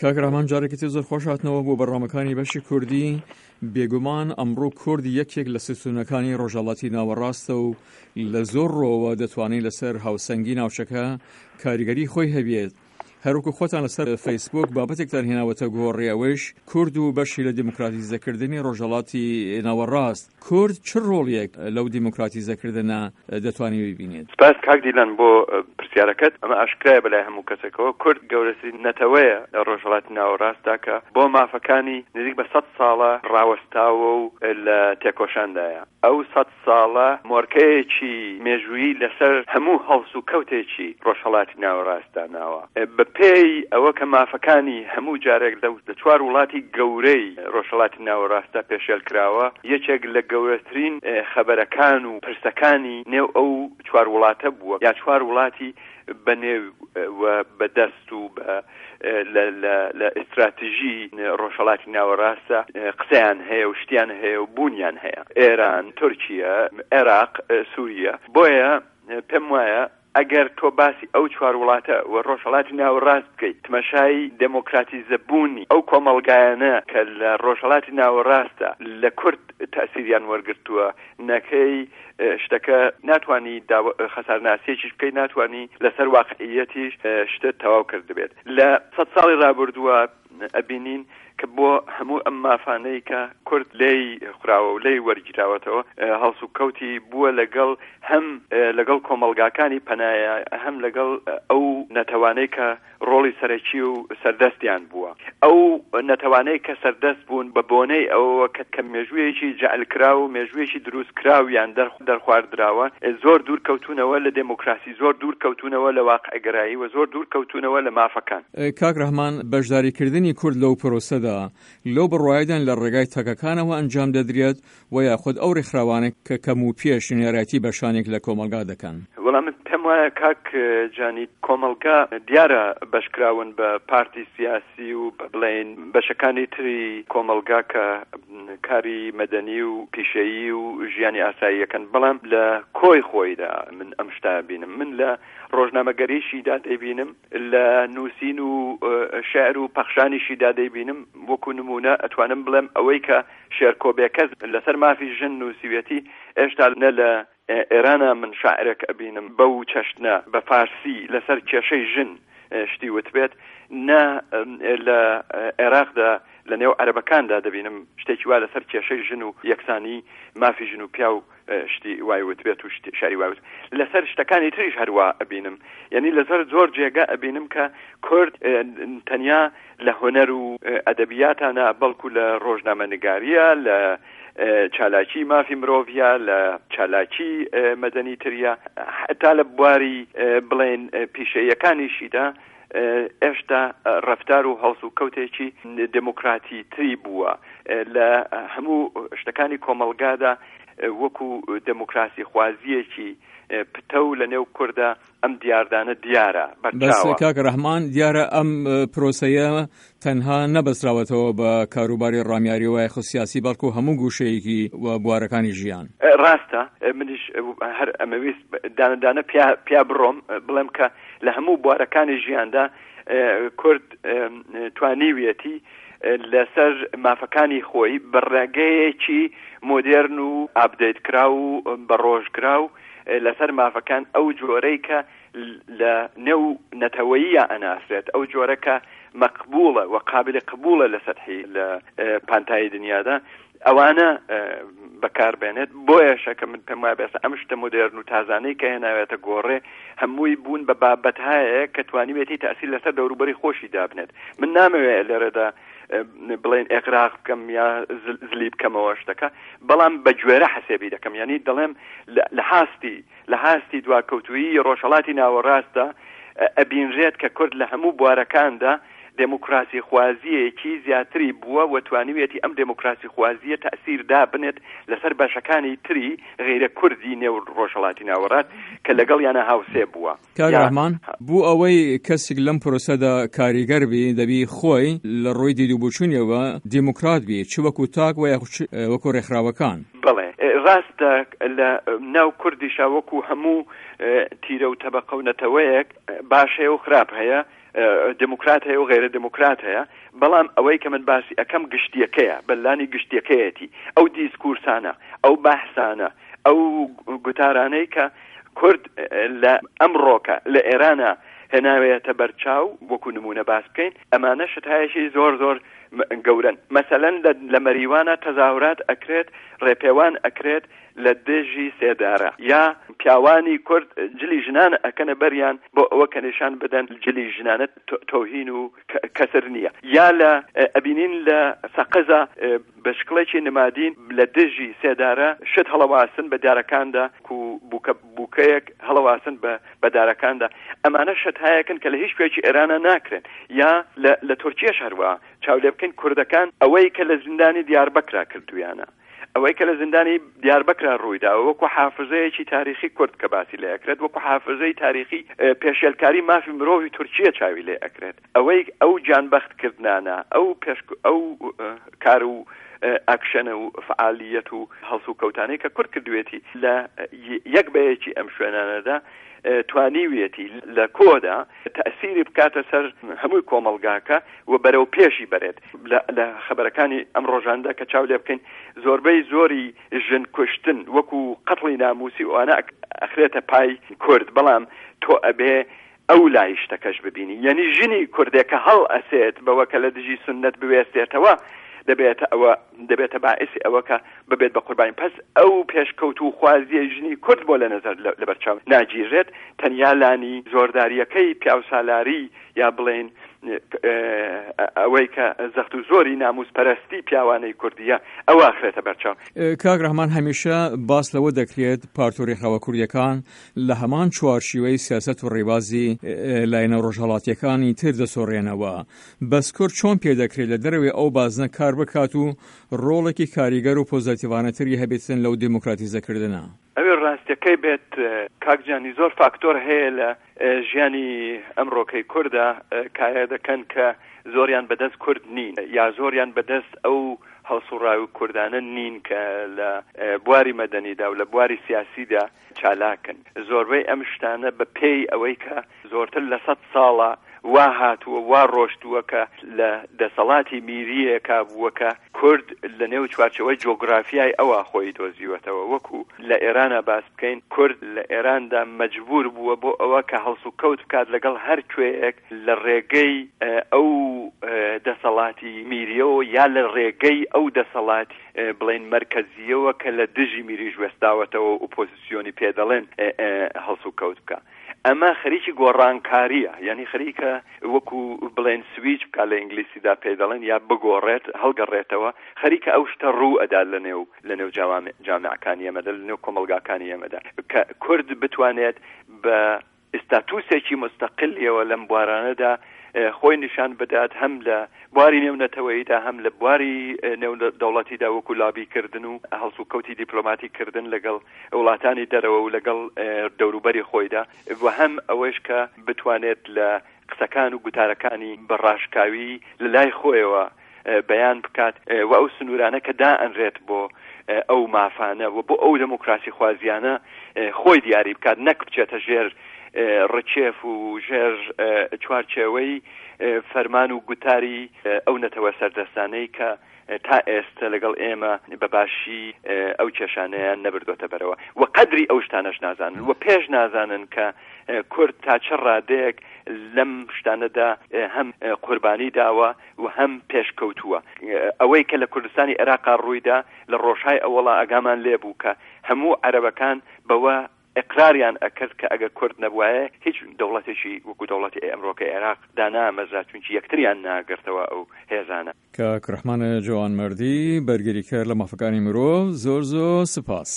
کاک ڕەحمان جارێکی تر زۆر خۆش هاتنەوە بۆ بەرنامەکانی بەشی کوردی. بێگومان ئەمڕۆ کورد یەکێک لە ستوونەکانی ڕۆژهەڵاتی ناوەڕاستە و لە زۆر ڕۆوە دەتوانێت لەسەر هاوسەنگی ناوچەکە کاریگەری خۆی هەبێت. هەروەکو خۆتان لەسەر فەیسبوک بابەتێکتان هێناوەتە گۆڕێ ئەوەیش کورد و بەشی لە دیموکراتیزەکردنی ڕۆژهەڵاتی ناوەڕاست. کورد چ ڕۆڵیەک لەو دیموکراتیزەکردنە دەتوانێت ببینێت؟ سپاس کاک دیلان بۆ پرسیارەکەت. ئەمە ئاشکرایە بەلای هەموو کەسێکەوە کورد گەورەترین نەتەوەیە لە ڕۆژهەڵاتی ناوەڕاستدا کە بۆ مافەکانی نزیک بە سەد ساڵە ڕاوەستاوە و لە تێکۆشاندایە. ئەو سەد ساڵە مۆرکەیەکی مێژوویی لەسەر هەموو هەڵسوکەوتێکی ڕۆژهەڵاتی ناوەڕاست داناوە. بە پێی ئەوە کە مافەکانی هەموو جارێک لە چوار وڵاتی گەورەی ڕۆژهەڵاتی ناوەڕاستدا پێشێل کراوە، یەکێک لە گەورەترین خەبەرەکان و پرسەکانی نێو ئەو چوار وڵاتە بووە یا چوار وڵاتی بە نێو و بە دەست و بە لە لە لە ئیستراتژی ڕۆژهەڵاتی ناوەڕاستە قسەیان هەیە و شتیان هەیە و بوونیان هەیە، ئێران، تورکیە، عێراق، سووریە. بۆیە پێم وایە ئەگەر تۆ باسی ئەو چوار وڵاتە و ڕۆژهەڵاتی ناوەڕاست بکەیت، تمەشای دێمۆکراتیزە بوونی ئەو کۆمەڵگایانە کە لە ڕۆژهەڵاتی ناوەڕاستە لە کورد تەئسیریان وەرگرتووە نەکەی شتەکە ناتوانی خەسارناسیەکیش بکەی ناتوانی لەسەر واقعیەتیش شتت تەواو کردبێت لە سەد ساڵی ڕابردووە ئەبینین کە بۆ هەموو ئەم مافانەی کە کورد لێی خوراوە و لێی وەرگیراوەتەوە هەڵسوکەوتی بووە لەگەڵ هەم لەگەڵ کۆمەڵگاکانی پەنایە هەم لەگەڵ ئەو نەتەوانەی کە ڕۆڵی سەرەکی و سەردەستیان بووە. ئەو نەتەوانەی کە سەردەست بوون بە بۆنەی ئەوەوە کە کە مێژوویەکی جەعلکراو و مێژوویەکی دروستکراویان دەرخواردراوە زۆر دوور کەوتوونەوە لە دێموکراسی، زۆر دوور کەوتوونەوە لە واقعگەرایی و زۆر دوور کەوتوونەوە لە مافەکان. کاک ڕەحمان، بەشداریکردنی کورد لەو پرۆسەدا لەو بڕوایەدان لە ڕێگای تاکەکانەوە ئەنجام دەدرێت و یاخود ئەو ڕێکخراوانە کە کەم و پێش نوێنەرایەتی بەشانێک لە کۆمەڵگا دەکەن؟ وەڵا من پێم وایە کاک جانی کۆمەڵگا دیارە بەشکراون بە پارتی سیاسی و بە بڵێین بەشەکانی تری کۆمەڵگا کە کاری مەدەنی و پیشەیی و ژیانی ئاسایی ئەکەن بەڵام لە کۆی خۆیدا من ئەم شتە بینم من لە ڕۆژنامەگەریشیدا دەیبینم لە نووسین و شعر و پەخشانیشیدا دەیبینم وەکو نمونە ئەتوانم بڵێم ئەوەی کە شێرکۆ بێکەس لەسەر مافی ژن نووسیویەتی، ئێشتا نە لە ئێرانا من شاعرێک ئەبینم بەو چەشنە بە فارسی لەسەر کێشەی ژن شتی وتبێت، نە لە عێراقدا لە نێو عەرەبەکاندا دەبینم شتێکی وا لەسەر کێشەی ژن و یەکسانی مافی ژن و پیاو شتی وای وتبێت و شعری وای وت. لەسەر شتەکانی تریش هەروا ئەبینم، یعنی لەسەر زۆر جێگە ئەبینم کە کورد تەنیا لە هونەر و ئەدەبیاتا نا، بەڵکو لە ڕۆژنامەنگارییە، لە چالاکی مافی مرۆڤە، لە چالاکی مەدەنی تریە، هەتا لە بواری بڵێن پیشەییەکانیشیدا ئێشتا ڕەفتار و هەڵسوکەوتێکی دێموکراتی تری بووە لە هەموو شتەکانی کۆمەڵگادا وەکو دێموکراسی خوازییەکی پتەو لە نێو کوردا ئەم دیاردانە دیارە بەس کاک ڕەحمان دیارە ئەم پرۆسەیە تەنها نەبەستراوەتەوە بە کاروباری ڕامیاری و یاخود سیاسی بەڵکو هەموو گوشەیەکی و بوارەکانی ژیان. ڕاستە منیش هەر ئەمەویست دانە دانە پیا پیا بڕۆم بڵێم کە لە هەموو بوارەکانی ژیاندا کورد توانیویەتی لەسەر مافەکانی خۆی بە ڕێگەیەکی مۆدێرن و ئاپدەیت کراو و بەڕۆژ کراو لەسەر مافەکان ئەو جۆرەی کە لە نێو نەتەوەییا ئەناسرێت ئەو جۆرە کە مەقبوڵە و قابلی قبوڵە لە سەتحی لە پانتایی دنیادا ئەوانە بەکار بێنێت بۆیەشە کە من پێم وایە بێسە ئەم شتە مۆدێرن و تازانەی کە هێناوێتە گۆڕێ هەمووی بوون بە بابەتهایە کە توانیوێتی تەئسیر لەسەر دەوروبەری خۆشی دابنێت من نامەوێت لێرەدا بڵێن ئێقراق بکەم یا زلی بکەمەوە شتەکە بەڵام بە گوێرە حەسێبی دەکەم یعنی دەڵێم لە حاستی لە حاستی دواکەوتویی ڕۆژهەڵاتی ناوەڕاستدا ئەبینرێت کە کورد لە هەموو بوارەکاندا دێموکراسی خوازییەکی زیاتری بووە و توانیویەتی ئەم دێموکراسی خوازییە تەئسیر دابنێت لەسەر بەشەکانی تری غەیرە کوردی نێو ڕۆژهەڵاتی ناوەڕاست کە لەگەڵیانا هاوسێ بووە. کاک ڕەحمان، بۆ ئەوەی کەسیک لەم پرۆسەدا کاریگەر بی دەبی خۆی لە ڕووی دید و بۆچوونیەوە دێموکرات بی چ وەکوو تاک و یاخود چ وەکوو ڕێکخراوەکان. بەڵێ ڕاستە لە ناو کوردیشا وەکوو هەموو تیرە و تەبەقە و نەتەوەیەک باش هەیە و خراپ هەیە. دێموکرات هەیە و غەیرە دێموکرات هەیە، بەڵام ئەوەی کە من باسی ئەکەم گشتییەکەیە، بە لانی گشتییەکەیەتی، ئەو دیسکورسانە، ئەو بەحسانە، ئەو گوتارانەی کە کورد لە ئەمڕۆکە لە ئێرانا هێناوێتە بەرچاو، وەکوو نموونە باس بکەین، ئەمانە شتهایەکی زۆر زۆر گەورەن. مەسەلەن لە مەریوانا تەزاهورات ئەکرێت، ڕێپێوان ئەکرێت لە دژی سێدارە، یا پیاوانی کورد جلی ژنان ئەکەنە بەریان بۆ ئەوە کە نیشان بدەن جلی ژنانە تۆهین و کەسر نییە، یا لە ئەبینین لە سەقزا بە شکڵێکی نمادین لە دژی سێدارە شت هەڵەواسن بە دارەکاندا کو بووکە بووکەیەک هەڵەواسن بە بە دارەکاندا. ئەمانە شتهایەکن کە لە هیچ کوێکی ئێرانا ناکرێن. یا لە لە تورکیەش هەروا چاو لێ بکەین کوردەکان ئەوەی کە لە زیندانی دیاربەکرا کردوویانە، ئەوەی کە لە زیندانی دیاربەکرا ڕووی داوە وەکوو حافزەیەکی تاریخی کورد کە باسی لێ ئەکرێت، وەکوو حافزەی تاریخی پێشێلکاری مافی مرۆڤی تورکیە چاوی لێ ئەکرێت. ئەوەی ئەو گیانبەخت کردنانە، ئەو پێش ئەو کار و ئاکشەنە و فەعالییەت و هەڵسوکەوتانەی کە کورد کردوێتی لە یەک بە یەکی ئەم شوێنانەدا توانیویەتی لە کۆدا تەئسیری بکاتە سەر هەمووی کۆمەڵگاکە و بەرەو پێشی بەرێت. لە خەبەرەکانی ئەم ڕۆژاندا کە چاو لێ بکەین زۆربەی زۆری ژن کوشتن وەکوو قەتڵی نامووسی و ئەوانە ئەخرێتە پای کورد، بەڵام تۆ ئەبێ ئەو لای شتەکەش ببینی یەنی ژنی کوردێک کە هەڵ ئەسێت بەوە کە لە دژی سوننەت بوێستێتەوە دەبێتە ئەوە دەبێتە باعیسی ئەوە کە ببێت بە قوربانی پس ئەو پێشکەوتوو خوازیەی ژنی کورد بۆ لە نەزەر لەبەرچاو ناگیرێت تەنیا لانی زۆرداریەکەی پیاوسالاری یا بڵێین ئەوەی کە زەخت و زۆری ناموس پەرستی پیاوانەی کوردیە ئەوە ئەخرێتە بەرچاو. کاک ڕەحمان هەمیشە باس لەوە دەکرێت پارت و ڕێکخراوە کوردیەکان لە هەمان چوارچیوەی سیاسەت و ڕێبازی لایەنە ڕۆژهەڵاتیەکانی تر دەسۆڕێنەوە. بەس کورد چۆن پێ دەکرێت لە دەرەوەی ئەو بازنە کار بکات و ڕۆڵێکی کاریگەر و پۆزەتیڤانەتری هەبێتن لەو دێموکراتیزەکردنە؟ ئەوێ ڕاستیەکەی بێت کاک جانی زۆر فاکتۆر هەیە لە ژیانی ئەمڕۆکەی کوردا کایە دەکەن کە زۆریان بەدەست کورد نین یا زۆریان بەدەست ئەو هەڵسوڕاوی کوردانە نین کە لە بواری مەدەنیدا و لە بواری سیاسیدا چالاکن. زۆربەی ئەم شتانە بە پێی ئەوەی کە زۆرتر لە سەد ساڵە وا هاتووە وا ڕۆشتووە کە لە دەسەڵاتی میرییەکا بووە کە کورد لە نێو چوارچێوەی جۆگرافیای ئەوا خۆی دۆزیوەتەوە. وەکوو لە ئێرانا باس بکەین کورد لە ئێراندا مەجبوور بووە بۆ ئەوە کە هەڵسوکەوت بکات لەگەڵ هەر کوێیەک لە ڕێگەی ئەو دەسەڵاتی میرییەوە یا لە ڕێگەی ئەو دەسەڵاتی بڵێین مەرکەزییەوە کە لە دژی میریش وێستاوەتەوە و ئۆپۆزیسیۆنی پێ دەڵێن هەڵسوکەوت بکا. ئەمە خەریکی گۆڕانکارییە، یانی خەریکە وەکوو بڵێن سویچ بکا لە ئینگلیسیدا پێی دەڵێن یا بگۆڕێت، هەڵگەڕێتەوە، خەریکە ئەو شتە ڕوو ئەدا لە نێو لە نێو جامیعەکانی ئێمەدا، لە نێو کۆمەڵگاکانی ئێمەدا کە کورد بتوانێت بە ئیستاتوسێکی موستەقلیەوە لەم بوارانەدا خۆی نیشان بدات هەم لە بواری نێونەتەوەییدا هەم لە بواری نێودەوڵەتیدا وەکو لابی کردن و هەڵسوکەوتی دیپلۆماتی کردن لەگەڵ وڵاتانی دەرەوە و لەگەڵ دەوروبەری خۆیدا و هەم ئەوەیش کە بتوانێت لە قسەکان و گوتارەکانی بە ڕاشکاوی لە لای خۆیەوە بەیان بکات و ئەو سنوورانە کە دائەنرێت بۆ ئەو مافانە و بۆ ئەو دێموکراسی خوازیانە خۆی دیاری بکات نەک بچێتە ژێر ڕکێف و ژێر چوارچێوەی فەرمان و گوتاری ئەو نەتەوە سەردەستانەی کە تا ئێستە لەگەڵ ئێمە بە باشی ئەو کێشانەیان نەبردۆتە بەرەوە و قەدری ئەو شتانەش نازانن و پێش نازانن کە کورد تا چ ڕادەیەک لەم شتانەدا هەم قوربانی داوە و هەم پێشکەوتووە. ئەوەی کە لە کوردستانی عێراقا ڕوویدا لە ڕۆژهای ئەوەڵا ئاگامان لێ بوو کە هەموو عەرەبەکان بەوە ئیقراریان ئەکرد کە ئەگەر کورد نەبوایە هیچ دەوڵەتێکی وەکوو دەوڵەتی ئەمڕۆکەی عێراق دانامەزرا چونکی یەکتریان ناگرتەوە ئەو هێزانە. کاک ڕەحمان جەوانمەردی، بەرگریکەر لە مافەکانی مرۆڤ، زۆر زۆر سپاس.